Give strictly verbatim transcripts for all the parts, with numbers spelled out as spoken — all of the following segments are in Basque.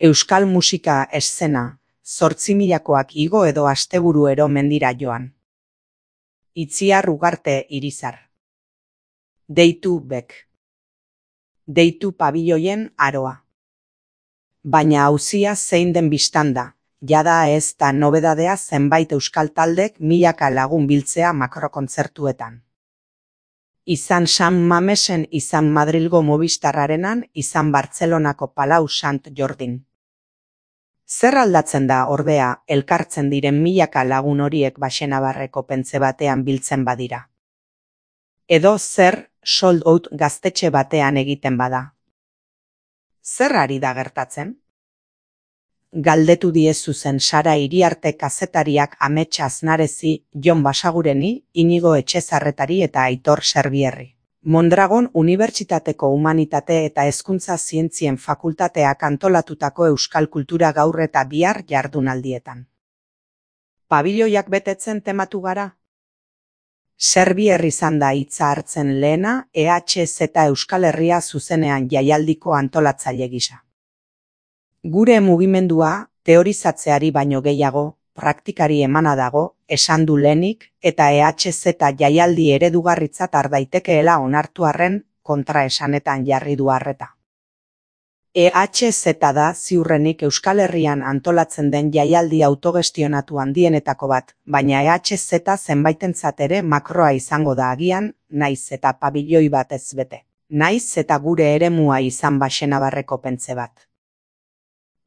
Euskal musika eszena, zortzimilakoak igo edo asteburuero mendira joan. Itziar Ugarte Irizar. Deitu bek. Deitu pabiloien aroa. Baina auzia zein den bistanda, jada ez da nobedadea zenbait euskal taldek milaka lagun biltzea makrokontzertuetan. Izan San Mamesen, izan Madrilgo Movistarrarenan, izan Bartzelonako Palau Sant Jordin. Zer aldatzen da, ordea, elkartzen diren milaka lagun horiek Baxenabarreko pentze batean biltzen badira? Edo zer sold out gaztetxe batean egiten bada? Zer ari da gertatzen? Galdetu diezu zen Sara Iriarte kazetariak Amets Aznarezi, Jon Basagureni, Inigo Etxezarretari eta Aitor Serbierri. Mondragon Unibertsitateko Humanitate eta Hezkuntza Zientzien Fakultateak antolatutako euskal kultura gaur eta bihar jardunaldietan. Pabiloiak betetzen tematu gara? Serbier izan da hitza hartzen lehena E H Z Euskal Herria zuzenean jaialdiko antolatzaile gisa. Gure mugimendua teorizatzeari baino gehiago, praktikari emana dago, esan du lehenik, eta E H Z jaialdi eredugarritzat ardaitekeela onartu arren kontraesanetan jarri du arreta. E H Z da ziurrenik Euskal Herrian antolatzen den jaialdi autogestionatu handienetako bat, baina E H Z zenbaitentzat ere makroa izango da agian, naiz eta pabiloi bat ez bete. Naiz eta gure eremua izan Baxenabarreko pentze bat.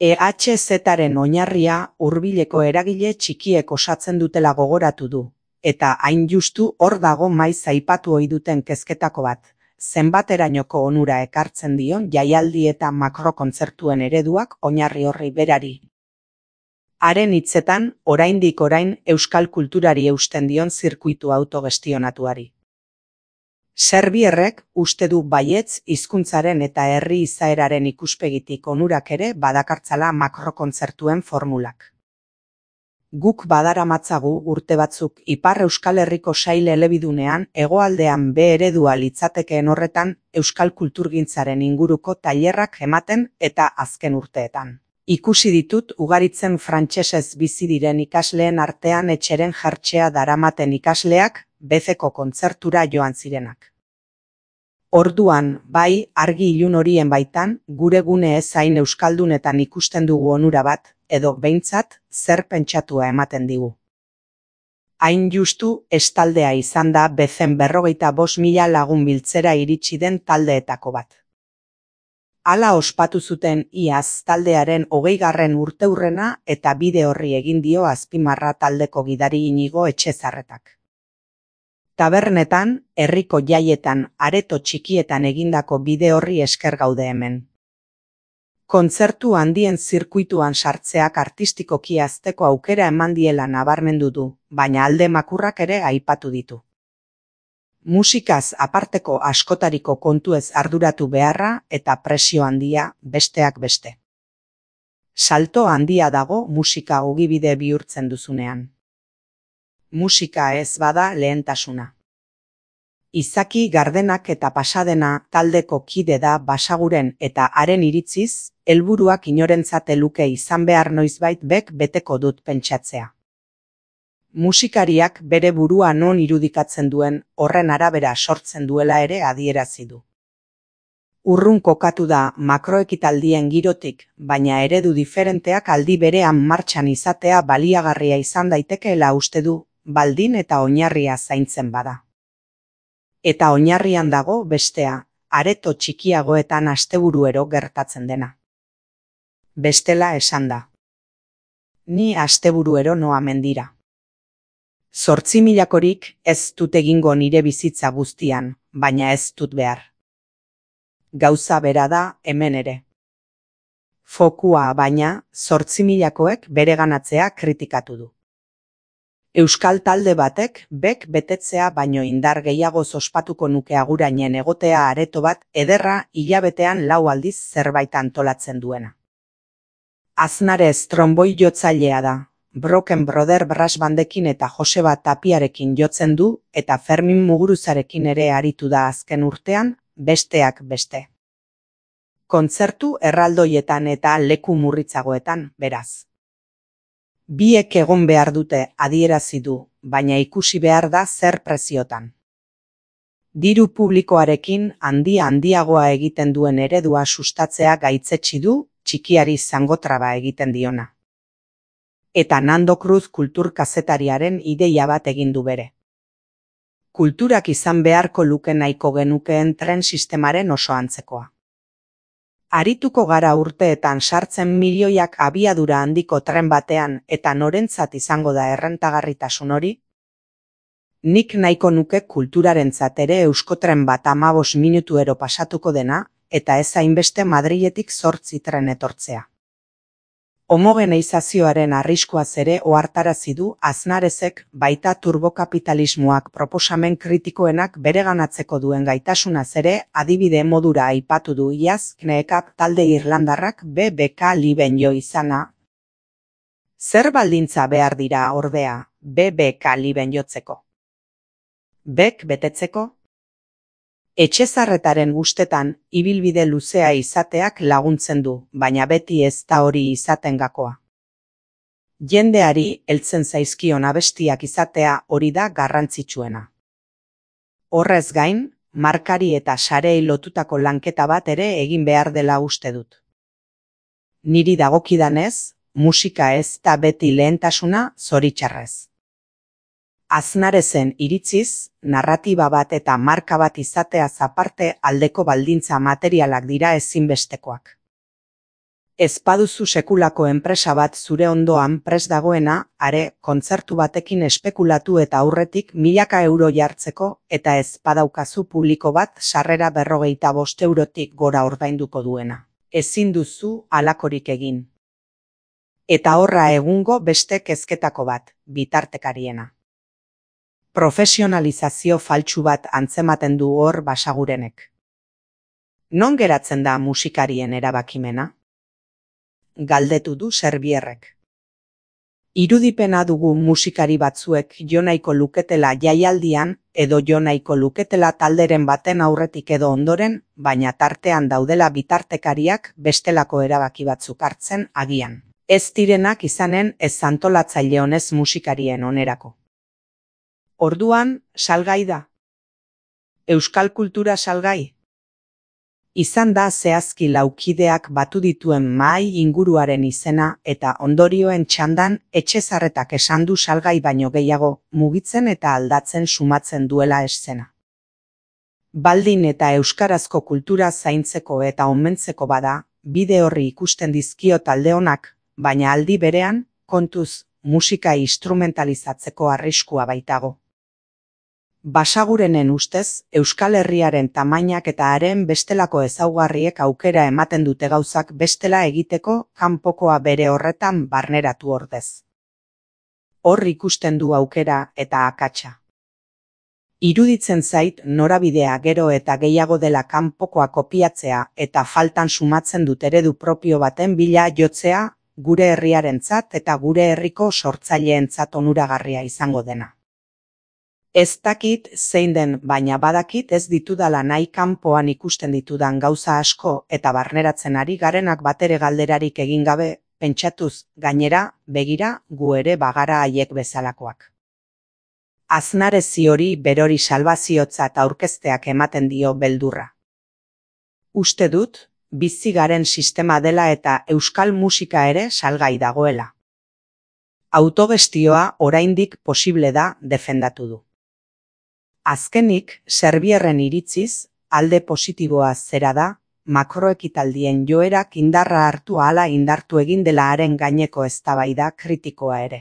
E H Zaren oinarria hurbileko eragile txikiek osatzen dutela gogoratu du, eta hain justu hor dago maiz aipatu ohi duten kezketako bat, zenbaterainoko onura ekartzen dion jaialdi eta makrokontzertuen ereduak oinarri horri berari. Haren hitzetan, oraindik orain euskal kulturari eusten dion zirkuitu autogestionatuari. Serbierrek uste du baietz hizkuntzaren eta herri izaeraren ikuspegitik onurak ere badakartzala makrokontzertuen formulak. Guk badaramatzagu urte batzuk Ipar Euskal Herriko sail elebidunean hegoaldean be eredua litzatekeen horretan euskal kulturgintzaren inguruko tailerrak ematen eta azken urteetan. Ikusi ditut ugaritzen frantsesez bizi diren ikasleen artean etxeren jartzea daramaten ikasleak bezeko kontzertura joan zirenak. Orduan, bai, argi ilun horien baitan, gure gune ez hain euskaldunetan ikusten dugu onura bat, edo behintzat, zer pentsatua ematen digu. Hain justu, estaldea izan da bezen berrogeita bost mila lagun biltzera iritsi den taldeetako bat. Hala ospatu zuten iaz taldearen hogeigarren urteurrena eta bide horri egin dio azpimarra taldeko gidari Inigo Etxezarretak. Tabernetan, herriko jaietan, areto txikietan egindako bide horri esker gaude hemen. Kontzertu handien zirkuituan sartzeak artistikoki hazteko aukera eman diela nabarmendu du, baina alde makurrak ere aipatu ditu. Musikaz aparteko askotariko kontuez arduratu beharra eta presio handia besteak beste. Salto handia dago musika ogibide bihurtzen duzunean. Musika ez bada lehentasuna. Izaki Gardenak eta Pasadena taldeko kide da Basaguren eta haren iritziz, helburuak inorentzat luke izan behar noizbait bek beteko dut pentsatzea. Musikariak bere burua non irudikatzen duen horren arabera sortzen duela ere adierazi du. Urrun kokatu da makroekitaldien girotik, baina eredu diferenteak aldi berean martxan izatea baliagarria izan daitekeela uste du, baldin eta oinarria zaintzen bada. Eta oinarrian dago bestea, areto txikiagoetan asteburuero gertatzen dena. Bestela esan da. Ni asteburuero noa mendira. Zortzimilakorik ez dut egingo nire bizitza guztian, baina ez dut behar. Gauza bera da hemen ere. Fokua baina zortzimilakoek bereganatzea kritikatu du. Euskal talde batek bek betetzea baino indar gehiago ospatuko nuke agurainen egotea areto bat ederra hilabetean lau aldiz zerbait antolatzen duena. Aznarez tromboi jotzailea da, Broken Brother brass bandekin eta Joseba Tapiarekin jotzen du eta Fermin Muguruzarekin ere aritu da azken urtean, besteak beste. Kontzertu erraldoietan eta leku murritzagoetan, beraz. Biek egon behar dute adierazi du, baina ikusi behar da zer preziotan. Diru publikoarekin handia handiagoa egiten duen eredua sustatzea gaitzetsi du, txikiari zangotraba egiten diona. Eta Nando Cruz kultur-kazetariaren ideia bat egin du bere. Kulturak izan beharko luke nahiko genukeen tren sistemaren oso antzekoa. Arituko gara urteetan sartzen milioiak abiadura handiko tren batean eta norentzat izango da errentagarritasun hori? Nik nahiko nuke kulturarentzat ere euskotren bat amabos minutuero pasatuko dena, eta ez hainbeste Madriletik zortzi tren etortzea. Homogeneizazioaren arriskuaz ere ohartarazi du Aznarezek baita turbokapitalismoak proposamen kritikoenak bereganatzeko duen gaitasunaz ere adibide modura aipatu du iaz Kneekap talde irlandarrak B B K liben jo izana. Zer baldintza behar dira ordea B B K liben jotzeko? Bek betetzeko? Etxezarretaren ustetan ibilbide luzea izateak laguntzen du, baina beti ez da hori izaten gakoa. Jendeari heltzen zaizkion abestiak izatea hori da garrantzitsuena. Horrez gain, markari eta sarei lotutako lanketa bat ere egin behar dela uste dut. Niri dagokidanez, musika ez da beti lehentasuna zoritxarrez. Aznarezen iritziz, narratiba bat eta marka bat izateaz aparte aldeko baldintza materialak dira ezinbestekoak. Ez baduzu sekulako enpresa bat zure ondoan prest dagoena, are kontzertu batekin espekulatu eta aurretik milaka euro jartzeko eta ez badaukazu publiko bat sarrera berrogeita bost eurotik gora ordainduko duena. Ezin duzu halakorik egin. Eta horra egungo beste kezketako bat, bitartekariena. Profesionalizazio faltsu bat antzematen du hor Basagurenek. Non geratzen da musikarien erabakimena? Galdetu du Serbierrek. Irudipena dugu musikari batzuek jo nahiko luketela jaialdian edo jo nahiko luketela talderen baten aurretik edo ondoren, baina tartean daudela bitartekariak bestelako erabaki batzuk hartzen agian. Ez direnak izanen ez antolatzaile honez musikarien onerako. Orduan, salgai da. Euskal kultura salgai. Izan da zehazki laukideak batu dituen mahai inguruaren izena eta ondorioen txandan Etxezarretak esan du salgai baino gehiago mugitzen eta aldatzen sumatzen duela eszena. Baldin eta euskarazko kultura zaintzeko eta omentzeko bada, bide horri ikusten dizkio talde honak, baina aldi berean, kontuz, musika instrumentalizatzeko arriskua baitago. Basagurenen ustez, Euskal Herriaren tamainak eta haren bestelako ezaugarriek aukera ematen dute gauzak bestela egiteko kanpokoa bere horretan barneratu ordez. Hor ikusten du aukera eta akatsa. Iruditzen zait norabidea gero eta gehiago dela kanpokoa kopiatzea eta faltan sumatzen dut eredu propio baten bila jotzea gure herriarentzat eta gure herriko sortzaileentzat onuragarria izango dena. Ez dakit zein den, baina badakit ez ditudala nahi kanpoan ikusten ditudan gauza asko eta barneratzen ari garenak batere galderarik egin gabe, pentsatuz gainera, begira, gu ere bagara haiek bezalakoak. Aznarezi hori berori salbaziotzat aurkezteak ematen dio beldurra. Uste dut, bizi garen sistema dela eta euskal musika ere salgai dagoela. Autogestioa oraindik posible da defendatu du. Azkenik, Serbierren iritziz, alde positiboa zera da, makroekitaldien joerak indarra hartu ahala indartu egin dela haren gaineko eztabaida kritikoa ere.